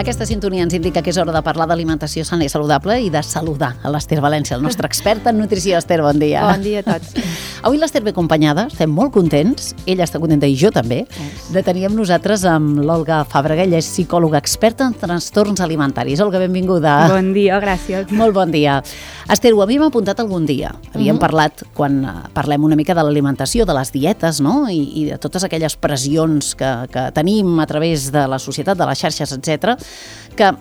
Aquesta sintonia ens indica que és hora de parlar d'alimentació sana i saludable i de saludar a l'Ester València, el nostre expert en nutrició. Esther, bon dia. Bon dia a tots. Avui l'Ester ve acompanyada, estem molt contents, ella està contenta i jo també, de tenir amb nosaltres amb l'Olga Fàbrega. Ella és psicòloga experta en trastorns alimentaris. Olga, benvinguda. Bon dia, gràcies. Molt bon dia. Esther, ho havíem apuntat algun dia. Havíem parlat, quan parlem una mica de l'alimentació, de les dietes, no? I de totes aquelles pressions que tenim a través de la societat, de les xarxes, etc, que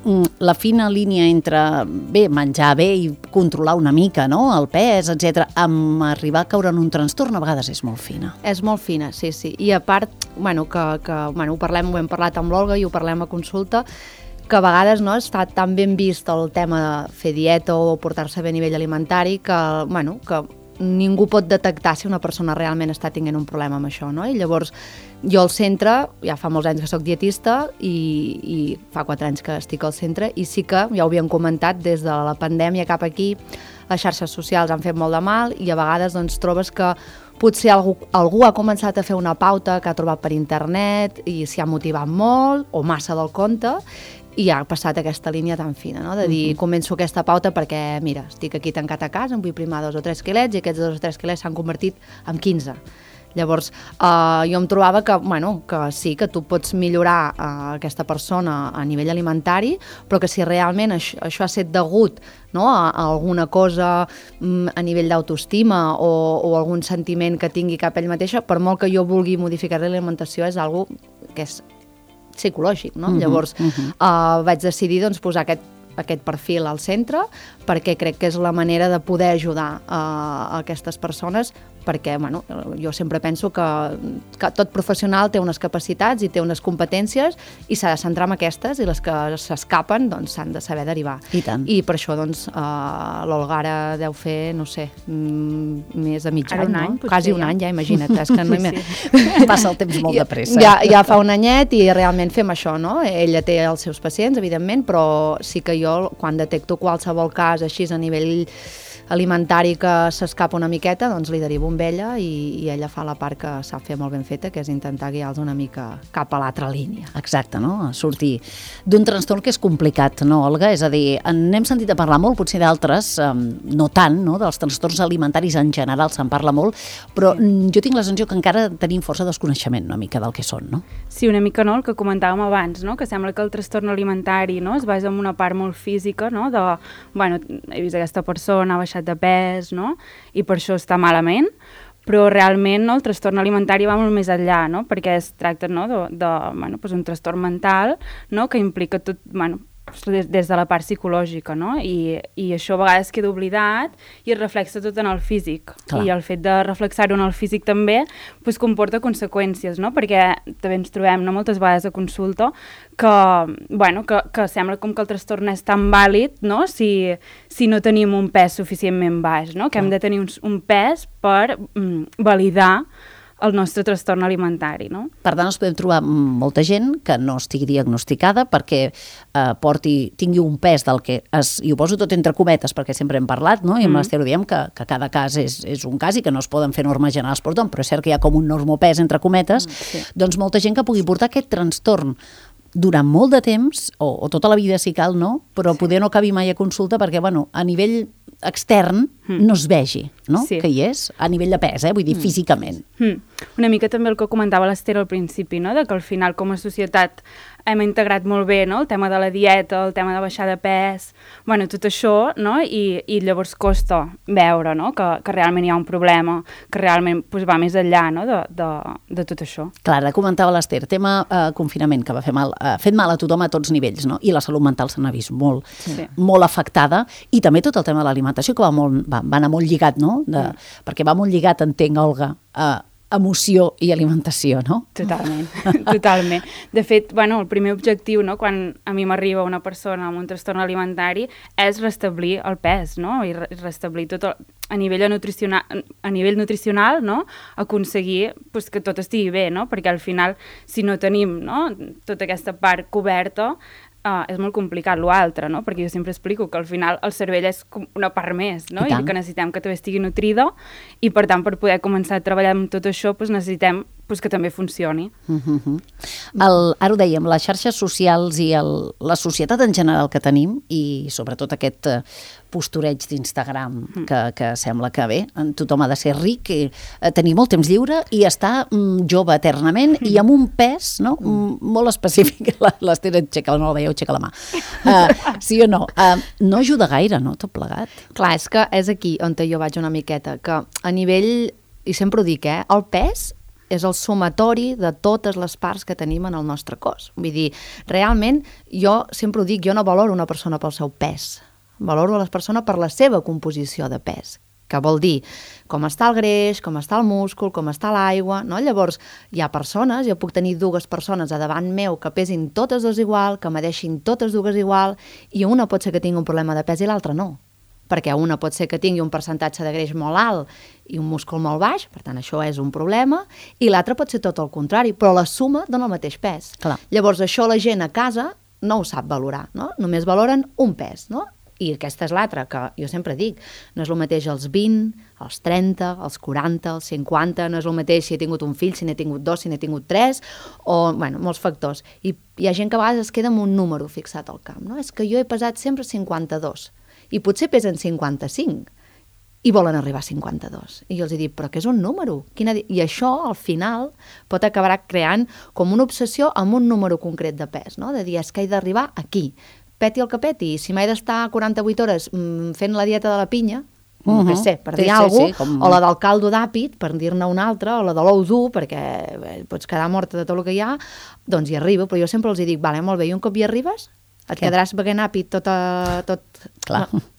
la fina línia entre menjar bé i controlar una mica, no? El pes, etc, amb arribar a caure en un trastorn a vegades és molt fina. És molt fina, sí. I a part, ho hem parlat amb l'Olga i ho parlem a consulta, que a vegades no està tan ben vist el tema de fer dieta o portar-se bé a nivell alimentari que ningú pot detectar si una persona realment està tenint un problema amb això, no? I llavors jo al centre, ja fa molts anys que soc dietista i fa 4 anys que estic al centre, i sí que, ja ho havíem comentat, des de la pandèmia cap aquí, les xarxes socials han fet molt de mal i a vegades doncs trobes que potser algú ha començat a fer una pauta que ha trobat per internet i s'hi ha motivat molt o massa del compte i ha passat aquesta línia tan fina, no? De dir, començo aquesta pauta perquè, mira, estic aquí tancat a casa, em vull primar 2 o 3 quilets i aquests 2 o 3 quilets s'han convertit en 15. Llavors, jo em trobava que sí, que tu pots millorar aquesta persona a nivell alimentari, però que si realment això ha estat degut, no, a alguna cosa a nivell d'autoestima o algun sentiment que tingui cap ell mateixa, per molt que jo vulgui modificar l'alimentació, és algo que és psicològic, no? Llavors vaig decidir doncs, posar aquest perfil al centre perquè crec que és la manera de poder ajudar a aquestes persones, perquè jo sempre penso que tot professional té unes capacitats i té unes competències i s'ha de centrar en aquestes, i les que s'escapen doncs s'han de saber derivar. I tant. I per això doncs l'Olga ara deu fer, no sé, més de mig any, no? Quasi un any, ja imagina't. És que passa el temps molt de pressa. Ja fa un anyet i realment fem això, no? Ella té els seus pacients, evidentment, però sí que jo, quan detecto qualsevol cas així a nivell alimentari que s'escapa una miqueta, doncs li derivo amb ella i ella fa la part que sap fer molt ben feta, que és intentar guiar-los una mica cap a l'altra línia. Exacte, no? Sortir d'un trastorn que és complicat, no, Olga? És a dir, n'hem sentit a parlar molt, potser d'altres, no tant, no? Dels trastorns alimentaris en general se'n parla molt, però jo tinc la sensació que encara tenim força desconeixement una mica del que són, no? Sí, una mica, no? El que comentàvem abans, no? Que sembla que el trastorn alimentari, no? Es basa en una part molt física, no? He vist aquesta persona, ha baixat de pes, no? I per això està malament, però realment el trastorn alimentari va molt més enllà, no? Perquè es tracta un trastorn mental, no? Que implica tot, des de la part psicològica, no? I això a vegades queda oblidat i es reflexa tot en el físic. Clar. I el fet de reflexar-ho en el físic també comporta conseqüències, no? Perquè també ens trobem moltes vegades a consulta que sembla com que el trastorn és tan vàlid, no? Si no tenim un pes suficientment baix, no? Que hem de tenir un pes per validar el nostre trastorn alimentari, no? Per tant, ens podem trobar molta gent que no estigui diagnosticada perquè tingui un pes del que i ho poso tot entre cometes perquè sempre hem parlat, no? I amb l'Ester ho diem que cada cas és un cas i que no es poden fer normes generals per tothom, però és cert que hi ha com un normopès entre cometes, doncs molta gent que pugui portar aquest trastorn durant molt de temps, o tota la vida si cal, no? Però poder no acabi mai a consulta perquè, a nivell extern no es vegi, no? Sí. Que hi és, a nivell de pes, vull dir, físicament. Una mica també el que comentava l'Ester al principi, no? De que al final com a societat hem integrat molt bé, no? El tema de la dieta, el tema de baixar de pes, tot això, no? I llavors costa veure, no? Que realment hi ha un problema, que realment va més enllà, no? De tot això. Clar, ara comentava l'Ester, tema confinament, que va fer mal, ha fet mal a tothom a tots nivells, no? I la salut mental se n'ha vist molt afectada, i també tot el tema de l'alimentació, que va anar molt lligat, no? Perquè va molt lligat, entenc, Olga, emoció i alimentació, no? Totalment, totalment. De fet, el primer objectiu, no, quan a mi m'arriba una persona amb un trastorn alimentari és restablir el pes, no? I restablir tot a nivell nutricional, no? Aconseguir que tot estigui bé, no? Perquè al final, si no tenim, no, tota aquesta part coberta, és molt complicat l'altre, no? Perquè jo sempre explico que al final el cervell és com una part més, no? I que necessitem que també estigui nutrida, i per tant per poder començar a treballar amb tot això necessitem pues, que també funcioni. Ara ho dèiem, les xarxes socials i la societat en general que tenim, i sobretot aquest postureig d'Instagram que sembla que bé, tothom ha de ser ric, tenir molt temps lliure i estar jove eternament i amb un pes, no? Molt específic. L'Esther aixeca, no la veieu, aixeca la mà. Sí o no? No ajuda gaire, no, tot plegat? Clar, és que és aquí on jo vaig una miqueta, que a nivell, i sempre ho dic, el pes és el sumatori de totes les parts que tenim en el nostre cos. Vull dir, realment, jo sempre ho dic, jo no valoro una persona pel seu pes, valoro a la persona per la seva composició de pes, que vol dir com està el greix, com està el múscul, com està l'aigua, no? Llavors, hi ha persones, jo puc tenir dues persones a davant meu que pesin totes dues igual, que medeixin totes dues igual, i una pot ser que tingui un problema de pes i l'altra no, perquè una pot ser que tingui un percentatge de greix molt alt i un múscul molt baix, per tant això és un problema, i l'altra pot ser tot el contrari, però la suma dona el mateix pes. Clar. Llavors això la gent a casa no ho sap valorar, no? Només valoren un pes, no? I aquesta és l'altra, que jo sempre dic, no és el mateix als 20, als 30, als 40, als 50, no és el mateix si he tingut un fill, si n'he tingut 2, si n'he tingut 3, o, bueno, molts factors. I hi ha gent que a vegades es queda amb un número fixat al camp, no? És que jo he pesat sempre 52, i potser pesen 55, i volen arribar a 52. I jo els dic, però què és un número? I això, al final, pot acabar creant com una obsessió amb un número concret de pes, no? De dir, és que he d'arribar aquí, peti el que peti, si m'he d'estar 48 hores fent la dieta de la pinya, no sé, per dir alguna cosa, o la del caldo d'àpid, per dir-ne una altra, o la de l'ou dur, perquè pots quedar morta de tot el que hi ha, doncs hi arribo, però jo sempre els dic, vale, molt bé, i un cop hi arribes, et quedaràs beguent àpid tot.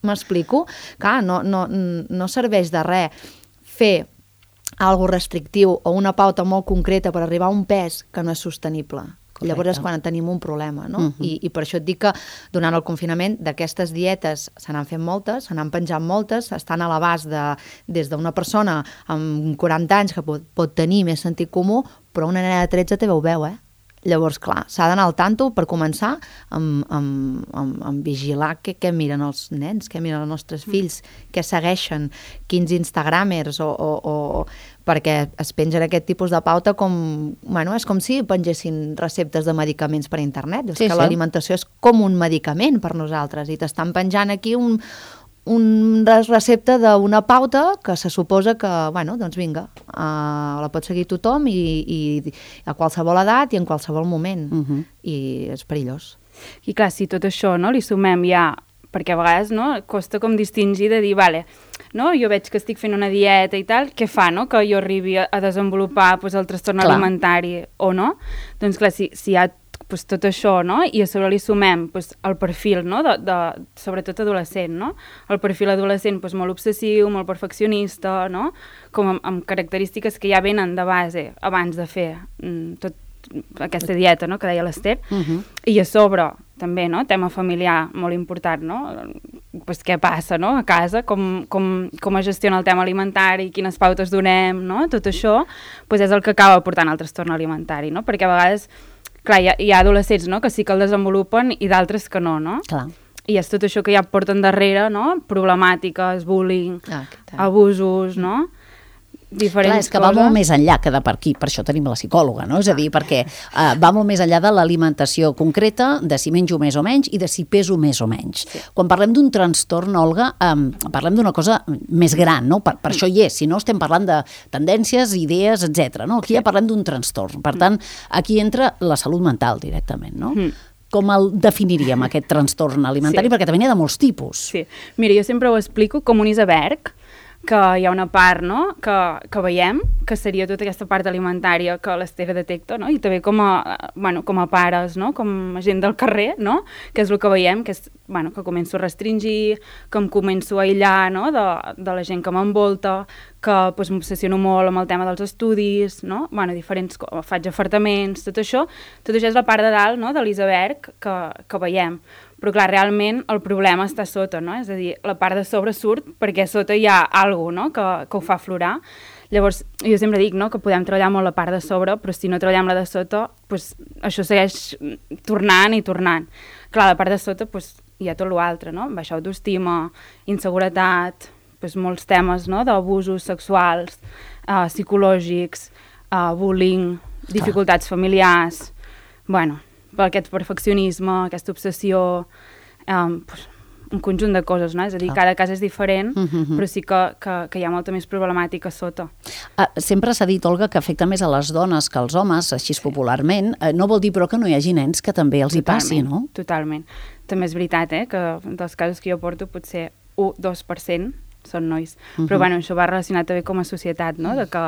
M'explico? Clar, no serveix de res fer algo restrictiu o una pauta molt concreta per arribar a un pes que no és sostenible. Correcte. Llavors és quan tenim un problema, no? I per això et dic que durant el confinament d'aquestes dietes se n'han fet moltes, se n'han penjat moltes, estan a l'abast des d'una persona amb 40 anys que pot tenir més sentit comú, però una nena de 13 també ho veu, Llavors, clar, s'ha d'anar al tanto per començar amb vigilar què miren els nens, què miren els nostres fills, què segueixen, quins instagramers o perquè es pengen aquest tipus de pauta com, bueno, és com si pengessin receptes de medicaments per internet. És que l'alimentació és com un medicament per nosaltres i t'estan penjant aquí una recepta d'una pauta que se suposa que, bueno, doncs vinga, la pot seguir tothom i a qualsevol edat i en qualsevol moment. I és perillós. I clar, si tot això li sumem ja, perquè a vegades costa com distingir de dir, vale, jo veig que estic fent una dieta i tal, què fa, que jo arribi a desenvolupar el trastorn alimentari o no? Doncs clar, si hi ha tot això, i a sobre li sumem el perfil, sobretot adolescent, el perfil adolescent molt obsessiu, molt perfeccionista, com amb característiques que ja venen de base abans de fer tot aquesta dieta, que deia l'Esther, i a sobre també, tema familiar molt important, què passa a casa, com es gestiona el tema alimentari, quines pautes donem, tot això és el que acaba portant al trastorn alimentari, perquè a vegades clar, hi ha adolescents que sí que el desenvolupen i d'altres que no, Clar. I és tot això que ja porten darrere, problemàtiques, bullying, abusos, diferents clar, és que va molt més enllà que de per aquí, per això tenim la psicòloga, és a dir, perquè va molt més enllà de l'alimentació concreta, de si menjo més o menys i de si peso més o menys. Sí. Quan parlem d'un trastorn, Olga, parlem d'una cosa més gran, per això hi és, si no estem parlant de tendències, idees, etc. Aquí ja parlem d'un trastorn, per tant, aquí entra la salut mental directament, Com el definiríem, aquest trastorn alimentari? Perquè també n'hi ha de molts tipus. Sí, mira, jo sempre ho explico com un iceberg, que hi ha una part que veiem, que seria tota aquesta part alimentària que l'Esther detecta, i també com a pares, com a gent del carrer, que és el que veiem, que és que començo a restringir, que em començo a aïllar de la gent que m'envolta, que m'obsessiono molt amb el tema dels estudis, diferents, faig afartaments, tot això és la part de dalt de l'iceberg que veiem. Però clar, realment el problema està sota, és a dir, la part de sobre surt perquè sota hi ha alguna cosa que ho fa aflorar. Llavors, jo sempre dic que podem treballar molt la part de sobre, però si no treballem la de sota, això segueix tornant i tornant. Clar, la part de sota hi ha tot l'altre, baixa autoestima, inseguretat, molts temes d'abusos sexuals, psicològics, bullying, dificultats familiars, bueno, per aquest perfeccionisme, aquesta obsessió, un conjunt de coses, no? És a dir, cada cas és diferent, però sí que hi ha molta més problemàtica sota. Sempre s'ha dit, Olga, que afecta més a les dones que als homes, així popularment. No vol dir, però, que no hi hagi nens que també els hi passi, no? Totalment. També és veritat, que dels casos que jo porto potser 1-2% són nois. Però bueno, això va relacionat també com a societat, no? De que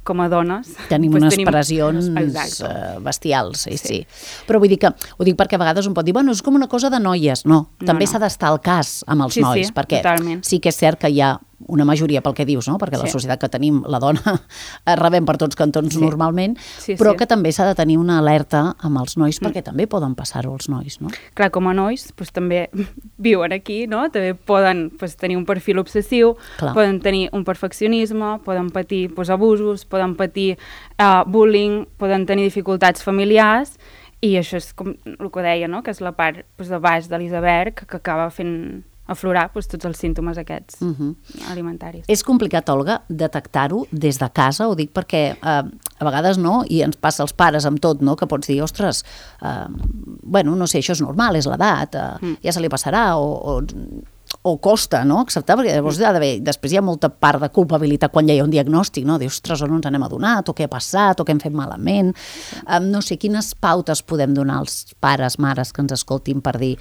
com a dones tenim unes pressions bestials, sí. Però vull dir que, ho dic perquè a vegades un pot dir, bueno, és com una cosa de noies. No, també s'ha d'estar al cas amb els nois, perquè sí que és cert que hi ha una majoria pel que dius, no? Perquè la societat que tenim, la dona, rebem per tots cantons normalment, però que també s'ha de tenir una alerta amb els nois, perquè també poden passar-ho els nois, no? Clar, com a nois també viuen aquí, no? També poden tenir un perfil obsessiu, poden tenir un perfeccionisme, poden patir abusos, poden patir bullying, poden tenir dificultats familiars, i això és com el que deia, no? Que és la part de baix de l'iceberg que acaba fent aflorar tots els símptomes aquests alimentaris. És complicat, Olga, detectar-ho des de casa? Ho dic perquè a vegades no, i ens passa als pares amb tot, no? Que pots dir, ostres, bueno, no sé, això és normal, és l'edat, ja se li passarà, o costa, no?, acceptar, perquè llavors després hi ha molta part de culpabilitat quan ja hi ha un diagnòstic, no? Dius, ostres, o no ens n'hem adonat, o què ha passat, o què hem fet malament. No sé, quines pautes podem donar als pares, mares que ens escoltin per dir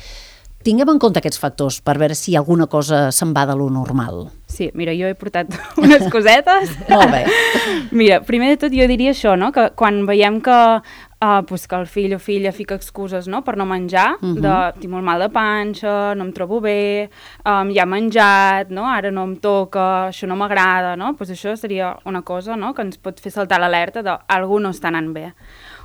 tinguem en compte aquests factors per veure si alguna cosa se'n va de lo normal. Sí, mira, jo he portat unes cosetes. Molt bé. Mira, primer de tot jo diria això, no?, que quan veiem que el fill o filla fica excuses, no?, per no menjar, tinc molt mal de panxa, no em trobo bé, ja he menjat, no?, ara no em toca, això no m'agrada, no?, doncs això seria una cosa, no?, que ens pot fer saltar l'alerta d'algú no està anant bé.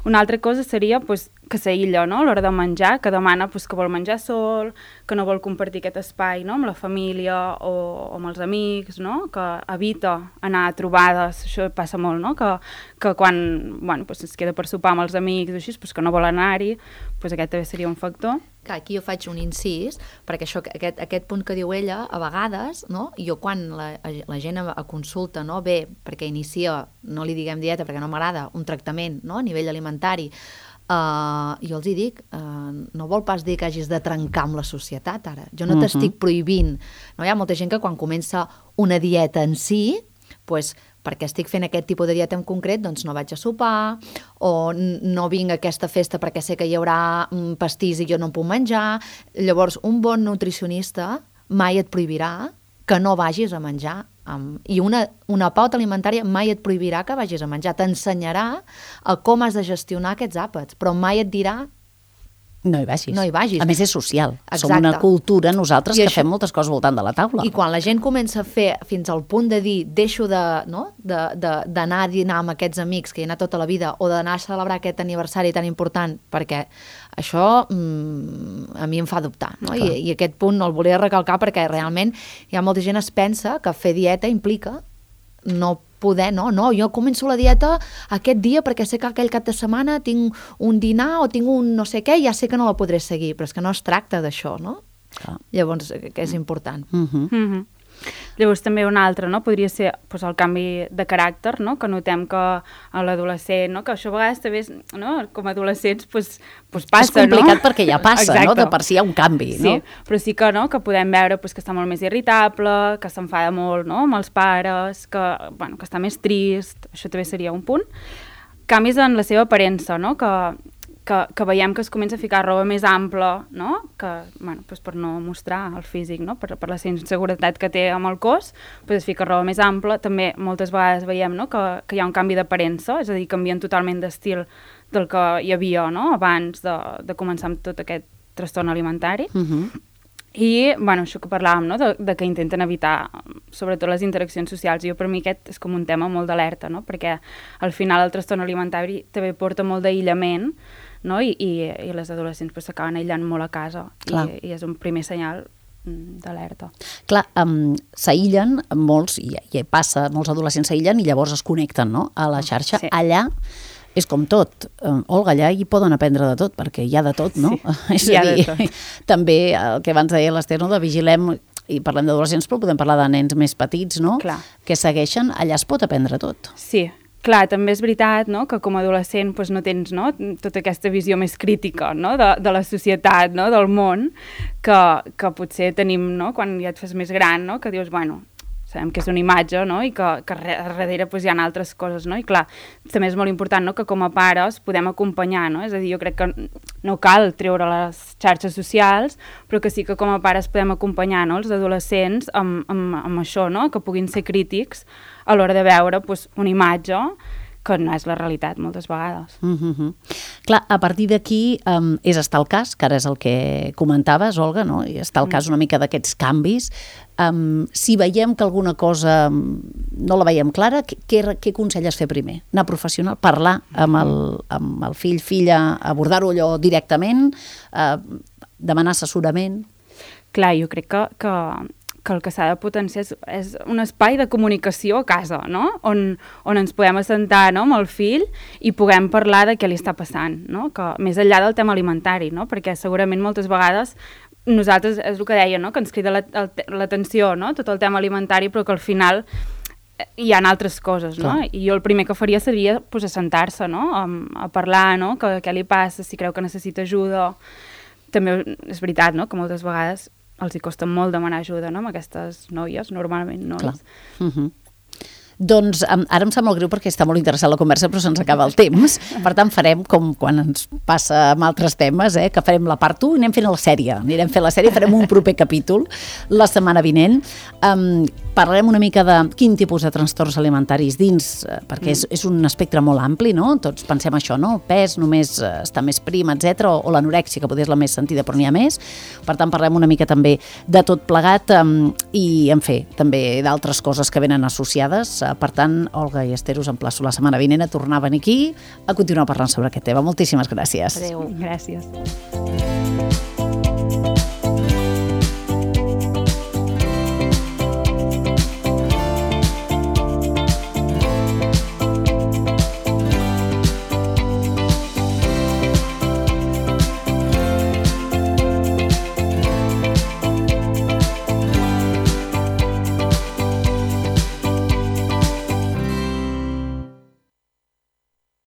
Una altra cosa seria que s'aïlla, no?, a l'hora de menjar, que demana que vol menjar sol, que no vol compartir aquest espai, no?, amb la família o amb els amics, no?, que evita anar a trobades, això passa molt, no?, que quan es queda per sopar amb els amics o així, que no vol anar-hi, aquest també seria un factor. Clar, aquí jo faig un incís, perquè això, aquest punt que diu ella, a vegades, no? Jo quan la gent a consulta, no, ve perquè inicia, no li diguem dieta perquè no m'agrada, un tractament, no?, a nivell alimentari, jo els hi dic, no vol pas dir que hagis de trencar amb la societat ara. Jo no t'estic prohibint. No, hi ha molta gent que quan comença una dieta en si, doncs perquè estic fent aquest tipus de dieta en concret, doncs no vaig a sopar, o no vinc a aquesta festa perquè sé que hi haurà pastís i jo no em puc menjar. Llavors, un bon nutricionista mai et prohibirà que no vagis a menjar. I una pauta alimentària mai et prohibirà que vagis a menjar. T'ensenyarà com has de gestionar aquests àpats, però mai et dirà no hi vagis. No hi vagis. A més, és social. Exacte. Som una cultura, nosaltres, que fem moltes coses voltant de la taula. I quan la gent comença a fer fins al punt de dir deixo d'anar a dinar amb aquests amics que hi ha anat tota la vida o d'anar a celebrar aquest aniversari tan important, perquè això a mi em fa dubtar. No? I aquest punt el volia recalcar perquè realment hi ha molta gent que es pensa que fer dieta implica no poder, no, jo començo la dieta aquest dia perquè sé que aquell cap de setmana tinc un dinar o tinc un no sé què i ja sé que no la podré seguir, però és que no es tracta d'això, no? Llavors, que és important. Llavors també una altra, no? Podria ser el canvi de caràcter, no? Que notem que a l'adolescent, no? Que això a vegades també, no? Com a adolescents passa, no? És complicat perquè ja passa, no? De per si hi ha un canvi, no? Sí, però sí que, no? Que podem veure que està molt més irritable, que s'enfada molt, no? Amb els pares, que està més trist, això també seria un punt. Canvis en la seva aparença, no? Que veiem que es comença a ficar roba més ampla, no? Que, per no mostrar el físic, no? Per la inseguretat que té amb el cos, es fica roba més ampla. També moltes vegades veiem, no? Que hi ha un canvi d'aparença, és a dir, canvien totalment d'estil del que hi havia, no? Abans de començar amb tot aquest trastorn alimentari. I, això que parlàvem, no? De que intenten evitar, sobretot les interaccions socials. Jo, per mi, aquest és com un tema molt d'alerta, no? Perquè al final el trastorn alimentari també porta molt d'aïllament, no? I les adolescents s'acaben aïllant molt a casa i és un primer senyal d'alerta. Clar, s'aïllen molts, i passa, molts adolescents s'aïllen i llavors es connecten, no? A la xarxa. Sí. Allà és com tot. Olga, allà hi poden aprendre de tot, perquè hi ha de tot, no? Sí, hi ha de tot. També el que abans deia l'Ester, no? De vigilem, i parlem d'adolescents, però podem parlar de nens més petits, no? Clar. Que segueixen, allà es pot aprendre tot. Sí, clar, també és veritat, no?, que com a adolescent doncs, no tens, no?, tota aquesta visió més crítica, no?, de la societat, no?, del món, que potser tenim, no?, quan ja et fas més gran, no?, que dius, bueno, sabem que és una imatge, no?, i que darrere doncs, hi ha altres coses, no?, i clar, també és molt important, no?, que com a pares podem acompanyar, no?, és a dir, jo crec que no cal treure les xarxes socials, però que sí que com a pares podem acompanyar, no?, els adolescents amb això, no?, que puguin ser crítics a l'hora de veure doncs, una imatge que no és la realitat moltes vegades. Clar, a partir d'aquí és estar al cas, que ara és el que comentaves, Olga, no? I estar al cas una mica d'aquests canvis. Si veiem que alguna cosa no la veiem clara, què aconselles fer primer? Anar professional, parlar amb el fill, filla, abordar-ho allò directament, demanar assessorament? Clar, jo crec que el que s'ha de potenciar és un espai de comunicació a casa, no?, on ens podem assentar, no?, amb el fill i puguem parlar de què li està passant, no?, que més enllà del tema alimentari, no?, perquè segurament moltes vegades nosaltres, és el que deia, no?, que ens crida l'atenció, no?, tot el tema alimentari, però que al final hi ha altres coses, no? Clar. I jo el primer que faria seria pues, assentar-se, no?, a parlar, no?, que què li passa, si creu que necessita ajuda. També és veritat, no?, que moltes vegades els hi costa molt demanar ajuda, no?, amb aquestes noies, normalment noies. Clar. Doncs ara em sap molt greu perquè està molt interessant la conversa, però se'ns acaba el temps. Per tant, farem com quan ens passa amb altres temes, que farem la part 1 i anem fent la sèrie. Anirem fent la sèrie, farem un proper capítol la setmana vinent. Parlarem una mica de quin tipus de trastorns alimentaris dins, perquè és un espectre molt ampli, no? Tots pensem això, no? Pes, només està més prim, etc. O l'anorèxia, que potser és la més sentida, però n'hi ha més. Per tant, parlem una mica també de tot plegat i, en fi, també d'altres coses que venen associades. Per tant, Olga i Esther, us emplaço la setmana vinent a tornar a venir aquí a continuar parlant sobre aquest tema. Moltíssimes gràcies. Adéu. Gràcies.